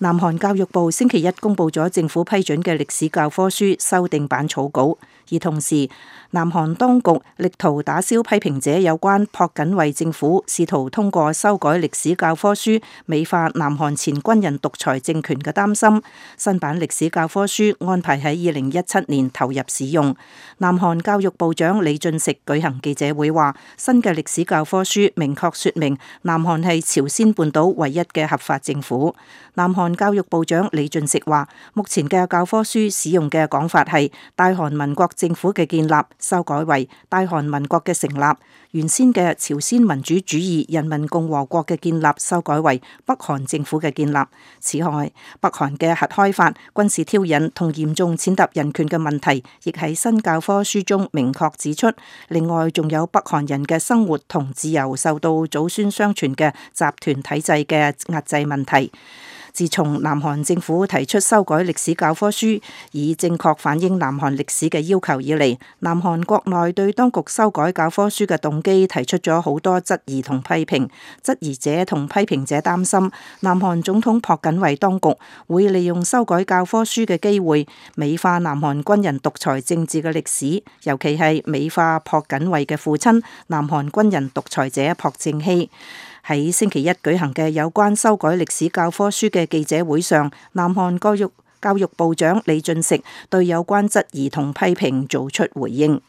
南韓教育部星期一公布咗政府批准嘅歷史教科書修訂版草稿，而同時南韓當局力圖打消批評者有關朴槿惠政府試圖通過修改歷史教科書美化南韓前軍人獨裁政權嘅擔心。新版歷史教科書安排喺2017年投入使用。南韓教育部長李俊錫舉行記者會話，新嘅歷史教科書明確說明南韓係朝鮮半島唯一嘅合法政府。南韓教育部長李俊錫話，目前嘅教科書使用嘅講法係大韓民國政府嘅建立，修改為大韓民國嘅成立；原先嘅朝鮮民主主義人民共和國嘅建立，修改為北韓政府嘅建立。此外，北韓嘅核開發、軍事挑釁同嚴重踐踏人權嘅問題，亦喺新教科書中明確指出。另外，仲有北韓人嘅生活同自由受到祖孫相傳嘅集團體制嘅壓制問題。自從南韓政府提出修改歷史教科書，以正確反映南韓歷史嘅要求以嚟，南韓國內對當局修改教科書嘅動機提出咗好多質疑同批評。質疑者同批評者擔心，南韓總統朴槿惠當局會利用修改教科書嘅機會，美化南韓軍人獨裁政治嘅歷史，尤其係美化朴槿惠嘅父親南韓軍人獨裁者朴正熙。喺星期一舉行嘅有關修改歷史教科書嘅記者會上，南韓教育部長李俊錫對有關質疑同批評做出回應。